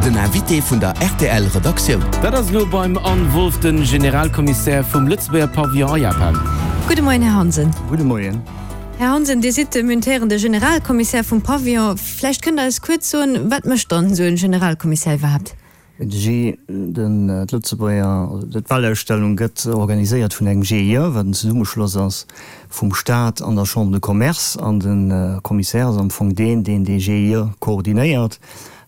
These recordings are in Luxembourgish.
Den Invité vun der rtl Redaktioun. Dat ass elo beim Anne Wolff, de Generalkommissär vum Lëtzebuerger Pavillon a Japan. Gudde Moien, Här Hansen. Gudde Moien. Här Hansen, Dir sidd de muntierende Generalkommissär vum Pavillon. Vläicht kënnt Der eis kuerz soen, wat mécht dann esou en Generalkommissär iwwerhaapt? Den den d'Lëtzebuerger, d'Welausstellung gëtt organiséiert vun engem GIE, wat en Zesummeschloss ass vum Staat an der Chambre de Commerce. An de Commissaire ass am Fong deen, deen dee GIE koordinéiert,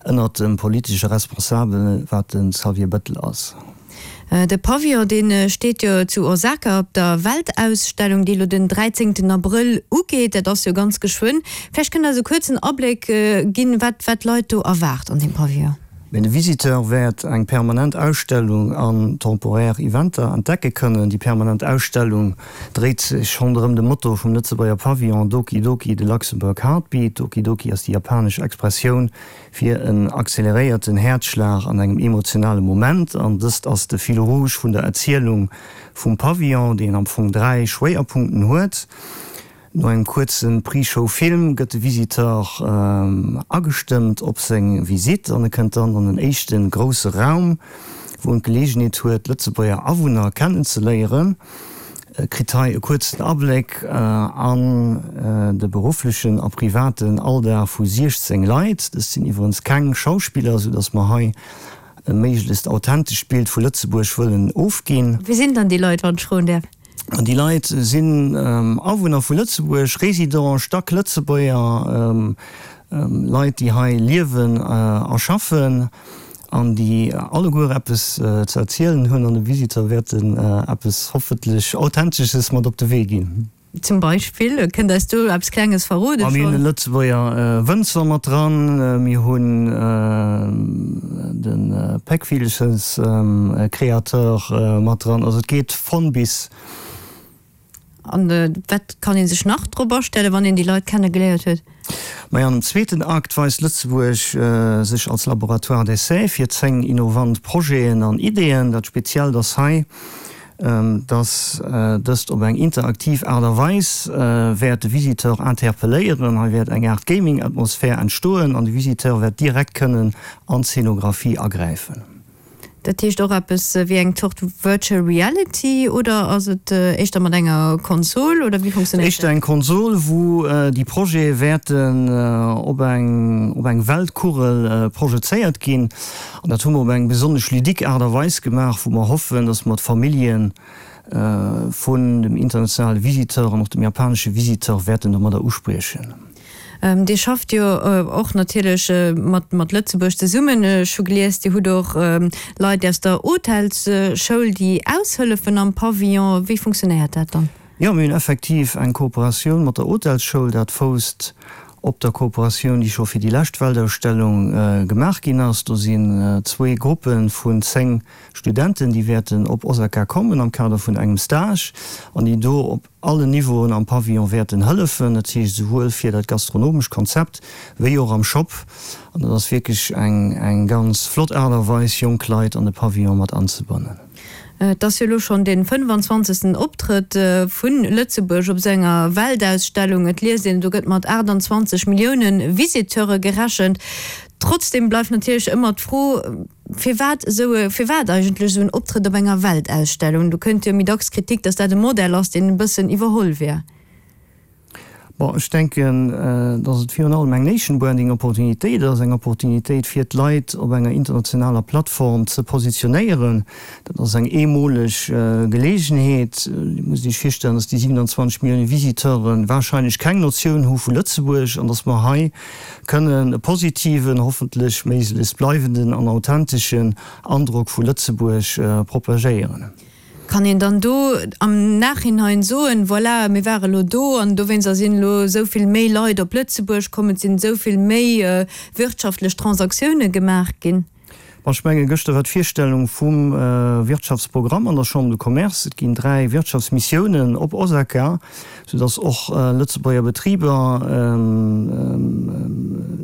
ënnert dem politesche Responsabel, wat de Xavier Bettel ass. De Pavillon, dee steet jo zu Osaka op der Weltausstellung, déi elo den 13 Abrëll ugeet. Dat ass jo ganz geschwënn. Vläicht kënnt Der eis e kuerzen Abléck ginn, wat d'Leit do erwaart an deem Pavillon. Mee de Visiteur wäert eng permanent Ausstellung an temporär Eventer entdecke kënnen. Déi permanent Ausstellung dréit sech ronderëm de Motto vum Lëtzebuerger Pavillon Doki Doki, the Luxembourg Heartbeat. Doki Doki ass déi japanesch Expressioun fir en acceleréierten Häerzschlag an engem emotionale Moment. An dëst ass de Fil rouge vun der Erzielung vum Pavillon, deen am Fong 3 Schwéierpunkten huet. No engem kuerze Pre-Show-Film gëtt de Visiteur agestëmmt op seng Visitt an e kënnt dann an en éischte grousse Raum, wou en d'Geleegenheet huet, d'Lëtzebuerger Awunner kennenzeléieren. E kritt hei e kuerzen Abléck an de berufflechen a privaten Alldag vu 16 Leit. Dëst sinn iwwerens keng Schauspiller, sou datt mer hei e méiglechst authentescht Bild vu Lëtzebuerg wëllen ofginn. Wie sinn dann déi Leit, wann ech froen däerf? Déi Leit sinn Awunner vu Lëtzebuerg, Résidenten, Stack-Lëtzebuerger, Leit, déi hei liewen a schaffen an déi alleguer eppes ze erzielen hunn an dem Visiteur wäerten eppes hoffentlech Authentesches mat op de Wee ginn. Zum Beispill? Kënnt eis do eppes Klenges verroden schonn? Mir hunn e Lëtzebuerger Wënzer mat dran, mir hunn de Péckvillchens-Créateur mat dran. Also et geet von bis. An wat kann ee sech nach drop astellen, wann een déi Leit kenne geléiert huet? Majo, an dem zweeten Akt weist Lëtzebuerg sech als Laboratoire d'essai fir 10 innovant Projeten an Ideeën. Dat Speziellt ass hei, dass dëst op eng interaktiv Aart a Weis wäert de Visiteur interpelléieren. Hei wäert eng Aart Gaming-Atmosphär entstoen an de Visiteur wäert direkt kënnen an d'Szenographie agräifen. Dat heescht och eppes wéi eng Zort Virtual Reality oder ass et éischter mat enger Konsol oder wéi funktionéiert dat? Éischter eng Konsol, wou déi Projete wäerten op eng op eng Weltkugel projezéiert ginn. An dat hu mer op eng besonnesch ludique Aart a Weis gemaach, wou mer hoffen, dass mer d'Famillje vun dem internationale Visiteur an och dem japanesche Visiteur wäerten domadder uspriechen. Dir schafft jo och natierlech mat Lëtzebuerg zesummen. Ech hu gelies, Dir hutt och Leit aus der Hotelsschoul, déi aushëllefen am Pavillon. Wéi funktionéiert dat dann? Jo, mir hunn effektiv eng Kooperatioun mat der Hotelsschoul. Dat fousst op der Kooperatioun, déi scho fir déi lescht Weltausstellung gemaach ginn ass. Do sinn zwee Gruppe vun 10 Studenten, déi wäerten op Osaka kommen am Kader vun engem Stage an déi do op allen Niveauen am Pavillon wäerten hëllefen, dat heescht esouwuel fir dat gastronomescht Konzept wéi och am Shop. An dat ass wierklech eng eng ganz flott Aart a Weis, jonk Leit an de Pavillon mat anzebannen. Et ass jo elo schonn dee 25. Optrëtt vu Lëtzebuerg op esou enger Weltausstellung. Et liest een, do gëtt mat 28 Millioune Visiteure gerechent. Trotzdeem bleift natierlech ëmmer d'Fro, Firwat esou e, firwat eigentlech esou en Optrëtt op enger Weltausstellung? Do kënnt jo méi dacks d'Kritik, datt dat e Modell ass, deen e bëssen iwwerholl wär. Bon, ech denken, datt et virun allem eng Nation Branding Opportunitéit ass, eng Opportunitéit fir d'Leit op enger internationaler Plattform ze positionéieren. Dat ass eng eemoleg Geleegenheet. Dir musst Iech virstellen, datt déi 27 Millioune Visiteure warscheinlech keng Notioun hu vu Lëtzebuerg an datt mer hei kënnen e positiven, hoffentlech méiglechst bleiwenden an authenteschen Androck vu Lëtzebuerg propagéieren. Kann een dann do am Nachhinein soen, voilà, mir ware lo do an dowéinster sinn elo esou vill méi Leit op Lëtzebuerg komm, et sinn esou vill méi wirtschaftlech Transaktioune gemaach ginn? Bon, ech mengen, gëschter war d'Virstellung vum Wirtschaftsprogramm an der Chambre de Commerce. Et ginn 3 Wirtschaftsmissiounen op Osaka, soudass och Lëtzebuerger Betriber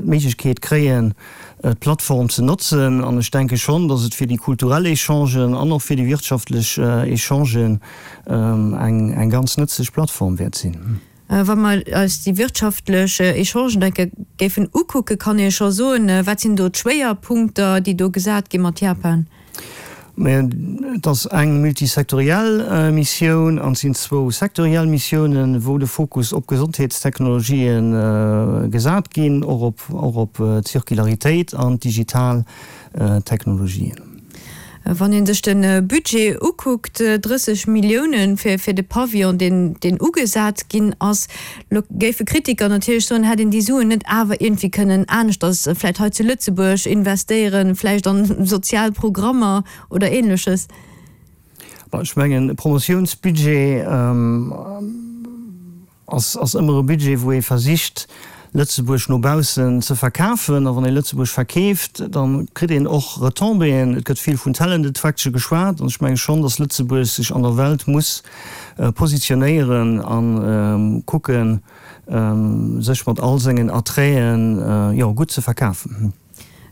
d'Méiglechkeet kréien, d'Plattform ze notzen. An ech denke schonn, dass et fir déi kulturell Echangen an och fir déi wirtschaftlech Echangen eng ganz nëtzlech Plattform wäert sinn. Wa mer eis déi wirtschaftlech Echangen enke géifen ukucken, kann ee scho soen, wat sinn do d'Schwéierpunkter, déi do gesat gi mat Japan? Et ass eng multisektoriell Missioun an et sinn zwou sektoriell Missiounen, wou de Fokus op Gesondheetstechnologië gesat ginn, och op d'Circularitéit an d'digital Technologien. Wann ee sech de Budget ukuckt, 30 Millioune fir de Pavillon, deen ugesat ginn ass, lo géife Kritiker natierlech soen, hätt een déi Suen net awer iergendwéi kënnen aneschters, vläicht hei zu Lëtzebuerg investéieren, vläicht an sozial Programmer oder Ähnleches. Bon, ech mengen, e Promotiounsbudget, Ass ëmmer e Budget, wou ee versicht, Lëtzebuerg no baussen ze verkafen. A wann ee Lëtzebuerg verkeeft, da kritt een och Retombéeën. Et gëtt vill vun Talent attraction geschwat. An ech menge schonn, datt Lëtzebuerg sech an der Welt muss positionéieren a kucken, sech mat all sengen Attraiten, jo, gutt ze verkafen.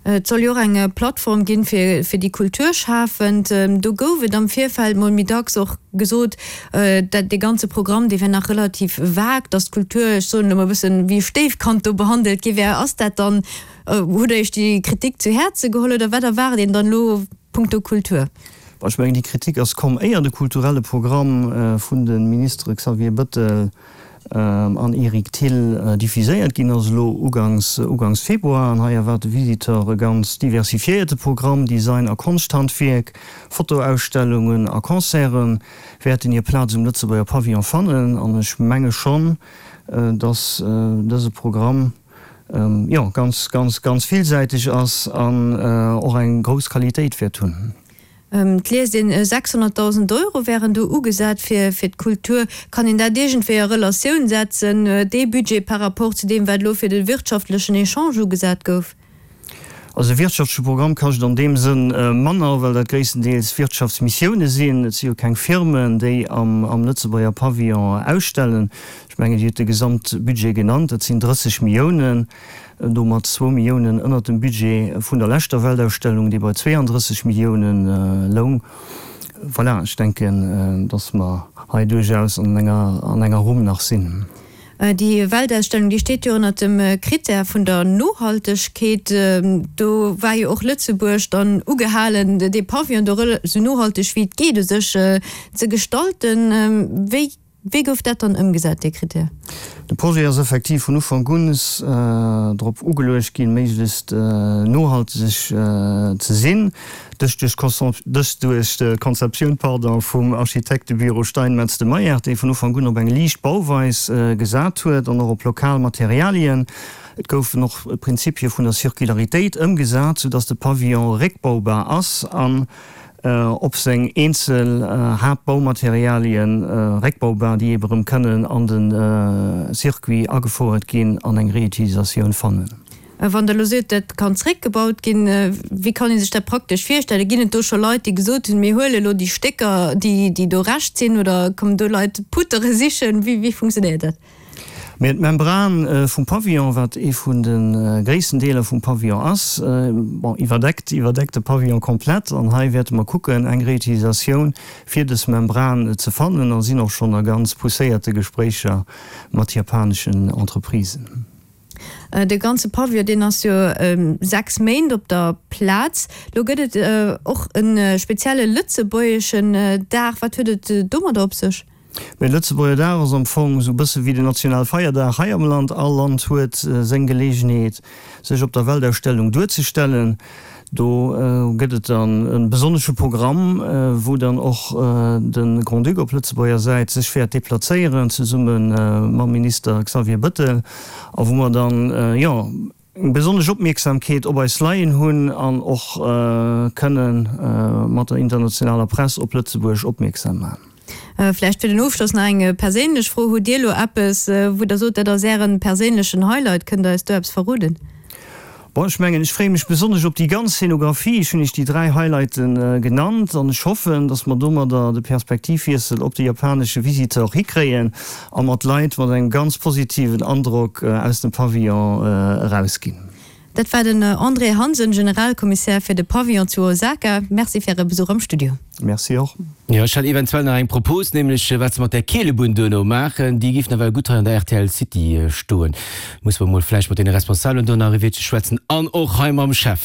Et soll jo och eng Plattform ginn fir fir déi Kulturschafend. Do gouf et am Virfeld mol méi dacks och gesot, dat dee ganze Programm, dee wär nach relativ vague, datt d'Kultur, ech soen elo mol e bëssen, wéi e Stéifkand do behandelt gi wär. Ass dat dann, hutt Der Iech déi Kritik zu Häerze geholl oder wat erwaart een dann elo punkto Kultur? Bon, ech mengen, déi Kritik ass komm, éier de kulturelle Programm vun de Ministere Xavier Bëttel, an Eric Thill diffuséiert ginn ass elo ugangs ugangs Februar an hei erwaart de Visiteur e ganz diversifiéierte Programm, Design a Konschthandwierk, Fotoausstellungen a Concerte wäerten hir Plaz um Lëtzebuerger Pavillon fannen an ech menge schonn, dass dëse Programm jo ganz ganz ganz villsäiteg ass an och eng grouss Qualitéit wäert hunn. Et liest een, 600.000 Euro wären do ugesat fir d'Kultur. Kann een dat iergendwéi a Relatioun setzen, dee Budget par rapport zu deem, wat elo fir de wirtschaftlechen Echange ugesat gouf? Also de wirtschaftleche Programm kascht an deem Sënn manner, well dat gréisstendeels Wirtschaftsmissioune sinn. Et si jo keng Firmen, déi am Lëtzebuerger Pavillon ausstellen. Ech mengen, Dir hutt de Gesamtbudget genannt, dat sinn 30 Milliounen. Domat zwou Milliounen ënnert dem Budget vun der leschter Weltausstellung, dee bei 32 Milliounen loung. Voilà, ech denken, datt mer hei duerchaus an enger, an enger Rumm nach sinn. Déi Weltausstellung, déi steet jo ënnert dem Critère vun der Nohaltegkeet. Do war jo och Lëtzebuerg dann ugehalen, dee Pavillon do esou nohalteg wéi et geet u sech ze gestalten. Wéi Wéi gouf dat dann ëmgesat, dee Critère? De Projet ass effektiv vun Ufank un drop ugeluecht ginn, méiglechst nohalteg ze sinn. Dëst duerch d'Konzeptioun, pardon, vum Architektebüro Steinmetz de Meyer, dee vun Ufank un op eng liicht Bauweis gesat huet an och op lokal Materialien. Et goufen och d'Prinzipie vun der Circularitéit ëmgesat, soudass de Pavillon réckbaubar ass an op seng eenzel Haaptbaumaterialien réckbaubar, déi ebe rëm kënnen an de Circuit agefouert ginn an eng Reutilisatioun fannen. Wann Der elo sot, dat kann zréckgebaut ginn, wéi kann ee sech dat praktesch virstellen? Ginn et do scho Leit, déi gesot hunn, mir huele elo déi Stécker, déi do Rescht sinn, oder kommen do Leit Poutere sichen? Wéi funktionéiert dat? Mee d'Membran vum Pavillon, wat ee vun de gréissten Deeler vum Pavillon ass, bon, iwwerdeckt, iwwerdeckt de Pavillon komplett. An hei wäerte mer kucken, eng Reutilisatioun fir dës Membran ze fannen a sinn och schonn a ganz pousséierte Gespréicher mat japaneschen Entreprisen. De ganze Pavillon, deen ass jo 6 Méint op der Plaz. Lo gëtt et och e spezielle lëtzebuergeschen Dag. Wat huet et domadder op sech? Mee de Lëtzebuerger Dag ass am Fong esou e bësse wéi den Nationalfeierdag hei am Land. All Land huet seng Geleegenheet, sech op der Weltausstellung duerzestellen. Do gëtt et dann e besonnesche Programm, wou dann och de Grand-Duc op Lëtzebuerger Säit sech wäert deplazéieren, zesumme mam Minister Xavier Bëttel, a wou mer dann, jo, eng besonnesch Opmierksamkeet op eis leien hunn an och kënne mat der internationaler Press op Lëtzebuerg opmierksam maachen. Vläicht fir den Ofschloss nach eng perséinlech Fro, Hutt Dir elo eppes, wou Der sot, dat ass Ären perséinlechen Highlight? Kënnt Der eis do eppes verroden? Bon, ech mengen, ech freeë mech besonnesch op déi ganz Scenographie. Ech hunn Iech déi 3 Highlighte genannt an ech hoffen, dass mer domadder de Perspektivwiessel op de japanesche Visiteur hikréien a mat Leit mat engem ganz positiven Androck aus dem Pavillon erausginn. Dat war den André Hansen, Generalkommissär fir de Pavillon zu Osaka. Merci fir Äre Besuch am Studio. Merci och. Jo, ech hat eventuell nach eng Propos, nämlech wat se mat där Keelebunn duerno maachen. Déi géif nawell gutt hei an der rtl City stoen. Musse mer mol vläicht mat deene Responsabelen do nach e Wiertche schwätzen an och hei mam Chef.